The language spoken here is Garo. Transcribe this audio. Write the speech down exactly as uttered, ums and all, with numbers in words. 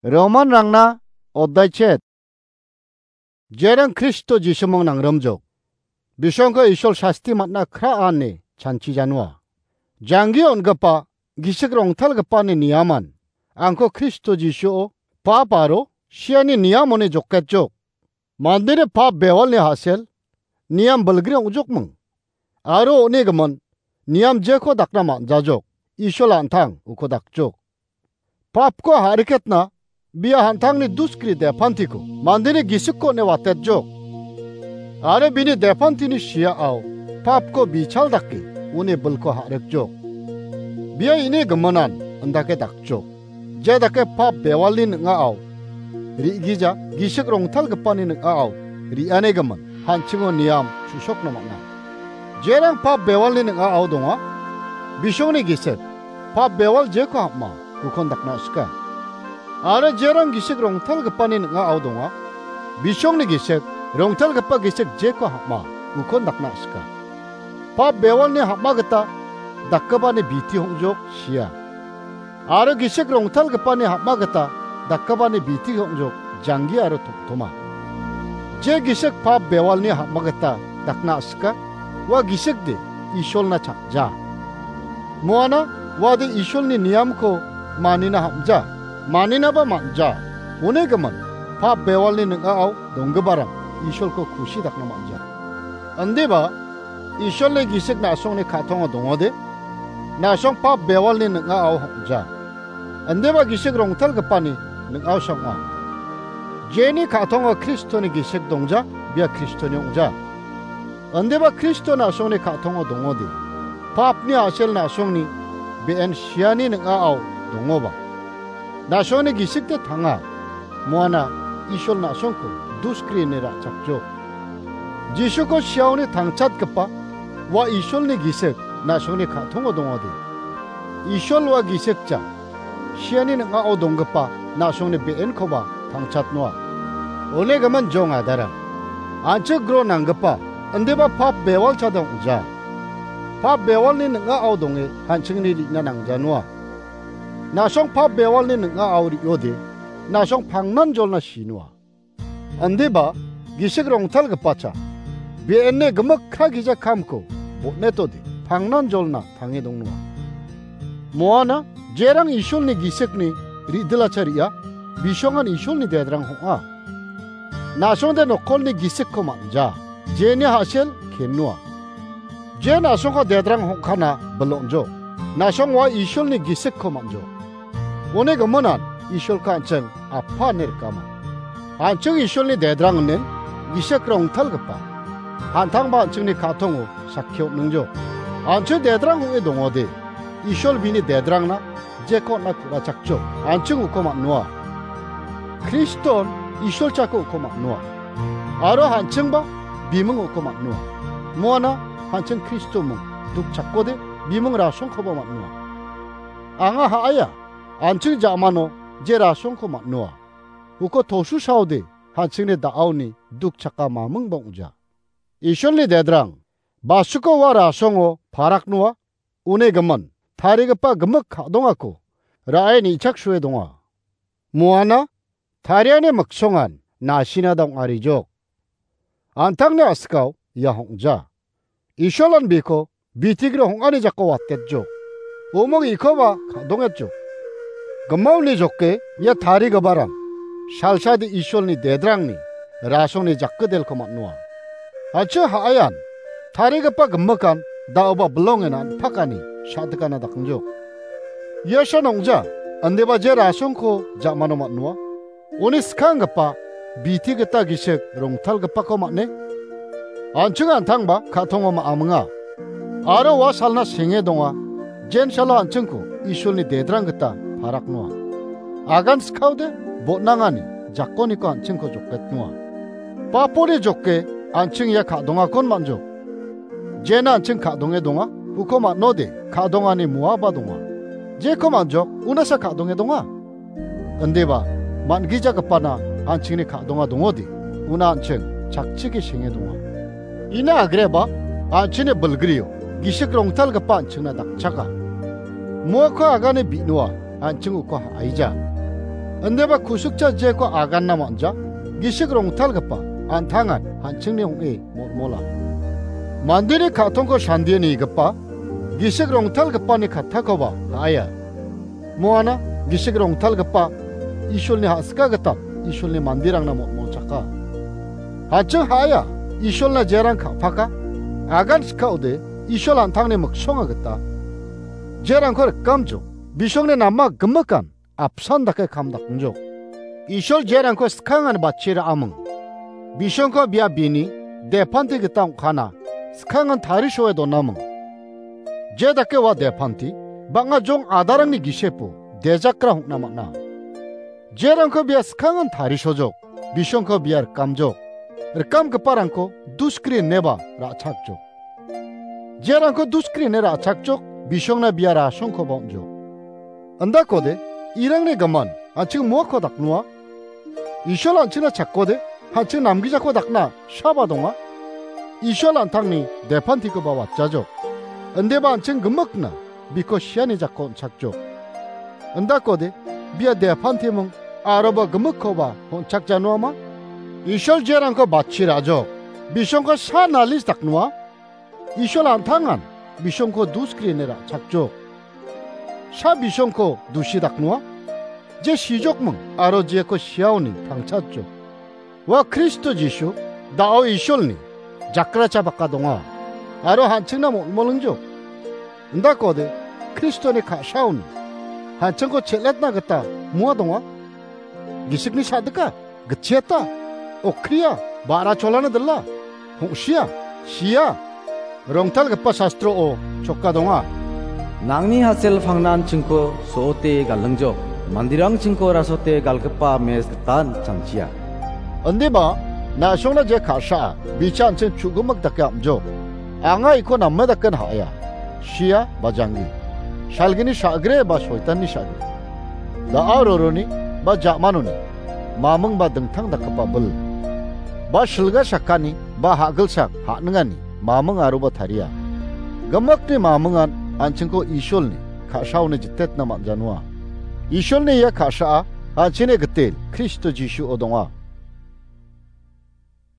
Romanrangna oddaichet. Jerang Kristo Jisumung nangrimjok. Bisongko Isol sasti matna kra ane chanchi janua. Janggi on·gipa gisik rongtalgipani niaman angko Kristo Jisuo pap aro siani niamoni joketjok. Mandeni pap bewalni hasel niam bilgri ong·jokming. Aro on·egimin niam jeko dakna man·jajok. Isol an·tang uko dakjok. Papko ha·riketna bia an·tangni duskri depantiko mandeni gisikko on·e watetjok. Aro bini depantini siaao papko bichal dake uni bilko ha·rikjok. Bia ini giminan indake dakjok. Je dake pap bewalni ning·ao re·gija gisik rongtalgipani ning·ao re·anigimin hanchingo niam chu·sokna man·a. Jerang pap bewalni ning·ao donga, bisongni gisik pap bewal jeko ham·a ukon dakna sika. Aro jerang gisik rongtalgipani ning·ao donga, bisongni gisik rongtalgipa gisik jeko ham·a ukon dakna sika. Pap bewalni ham·a gita dakgipani biti hong·jok sia. Aro gisik rongtalgipani ham·a gita dakgipani biti hong·jok janggi aro tomtoma. Je gisik pap bewalni ham·a gita dakna sika, ua gisikde Isolna chakja. Moana uade Isolni niamko manina ham·ja, maninaba man·ja. Onegimin pap bewalni ning·ao donggiparang Isolko kusi dakna man·ja. Indiba Isolni gisik na·songni ka·tongo dongode, na·song pap bewalni ning·ao hong·ja. Indiba gisik rongtalgipani ning·ao song·a. Jeni ka·tongo Kristoni gisik dongja, bia Kristoni ong·ja. Indiba Kristo na·songni ka·tongo dongode, papni a·sel na·songni be·en siani ning·ao dongoba, na·songni gisikde tanga. Moana Isol na·songko duskri ine ra·chakjok. Jisuko siaoni tangchatgipa ua Isolni gisik na·songni ka·tongo dongode. Isol ua gisikja siani ning·ao donggipa na·songni be·enkoba tangchatnoa. Onegimin jong adarang, an·ching gro nanggipa, indiba pap bewalchade ong·ja. Pap bewalni ning·ao donge an·chingni re·na nangjanoa. Na·song pap bewalni ning·ao re·ode, na·song pangnan jolna sinoa. Indiba gisik rongtalgipacha be·ene gimik ka gija kamko botnetode pangnan jolna tange dongnoa. Moana jerang Isolni gisikni re·dilacha re·a, bisongan Isolni dedrang hong·a. Na·songde nokolni gisikko man·ja, jeni hasel kennoa. Je na·songko dedrang hong·kana bilongjok, na·song ua Isolni gisikko man·jok. Uni giminan Isolko an·ching Apa ine rikama. An·ching Isolni dedrang inen gisik rongtalgipa, an·tangba an·chingni ka·tongo sakki on·ingjok. An·ching dedrang ong·e dongode, Isol bini dedrangna jeko on·na ku·rachakjok, an·ching uko man·noa. Kriston Isol chako uko man·noa. Aro an·chingba biming uko man·noa. Moana an·ching Kristoming dukchakode biming rasongkoba man·noa. Anga ha·aia, an·ching ja·mano je rasongko man·noa. Uko tosusaode an·chingni da·aoni dukchaka mamingba ong·ja. Isolni dedrang, basiko ua rasongo paraknoa, uni gimin, tarigipa gimik ka·dongako ra·e nichaksue donga. Moana, tariani miksongan nasina dong·arijok. An·tangni a·sikao ia hong·ja. Isolan biko bitigri hong·ani jako watetjok. Umong ikoba ka·dongetjok. Gimaoni joke ia tarigiparang salsade Isolni dedrangni rasongni jakkidelko man·noa. An·ching ha·aian tarigipa gimikan da·oba bilongen an·pakani sa·dikana dakangjok. Ia san ong·ja, indiba je rasongko ja·mano man·noa. Uni skanggipa biti gita gisik rongtalgipako man·e. An·ching an·tangba ka·tongo ma·aminga. Aro ua salna senge donga, jensalo an·chingko Isolni dedrang gita paraknoa. Agan skaode botnangani jakoniko an·chingko joketnoa. Paponi joke an·ching ia ka·dongakon man·jok. Jena an·ching ka·donge donga, uko man·ode ka·dongani moaba donga. Jeko man·jok, unasa ka·donge donga. Indiba, man·gijagipana an·chingni ka·donga dongode, una an·ching chakchike senge donga. Ina agreba, an·chingni bilgrio gisik rongtalgipa an·chingna dakchaka. Moako agane bi·noa, an·ching uko ha·aija. Indeba kusukcha jeko aganna man·ja, gisik rongtalgipa an·tangan an·chingni ong·e molmola. Mandeni ka·tongko sandie nigipa, gisik rongtalgipani kattakoba ha·aia. Moana gisik rongtalgipa Isolni ha·sika gita Isolni manderangna molmolchaka. An·ching ha·aia, Isolna jerang ka·paka, agan sika ode Isol an·tangni miksonga gita. Jerangko rikamjo, bisongni nama gimikan apsan dake kam dakngjok. Isol jerangko skangan batchi ra·aming. Bisongko bia bini depanti gita ong·kana skangan tarisoe donaming. Je dake ua depanti bang·a jong adarangni gisepo dejakra hong·na man·a. Jerangko bia skangan tarisojok, bisongko bia rikamjok. Rikamgiparangko duskri ineba ra·chakjok. Jerangko duskri ine ra·chakjok, bisongna bia rasongkoba on·jok. Indakode, irangni gimin, an·ching moako daknoa. Isol an·chingna chakode, an·ching namgijako dakna saba donga. Isol an·tangni depantikoba watjajok. Indeba an·ching gimikna biko siani jako on·chakjok. Indakode, bia depantiming aroba gimikkoba on·chakjanoama? Isol jerangko batchi ra·jok. Bisongko sa nalis daknoa. Isol an·tangan bisongko duskri ine ra·chakjok. Sa bisongko dusi daknoa. Je sijokming aro jeko siaoni tangchatjok. Ua Kristo Jisu, da·o Isolni jakracha baka donga. Aro an·chingna molmolingjok. Indakode Kristoni ka·saoni an·chingko chel·etna gita moa donga. Gisikni sa·dika, gitchiata, okria, ba·ra cholana dila, hong·sia, sia. Rongtalgipa sastro-o choka donga. Nangni hasel pangnan chingko so·ote galingjok, mandirang chingko rasote galgipa mes gitan chanchia. Indiba, na·songna je ka·saa, bicha an·ching chu·gimik dake am·jok. Anga iko name daken ha·aia. Sia ba janggi. Salgini sa·gre ba soitanni sa·gre. Da·a roroni ba ja·manoni. Maming ba dingtang dakgipa bil. Ba silga sakani ba ha·gilsak ha·ningani maming aroba taria. Gimikni mamingan an·chingko Isolni ka·saoni jitetna man·janoa. Isolni ia ka·saa an·chingni gitel Kristo Jisuo donga.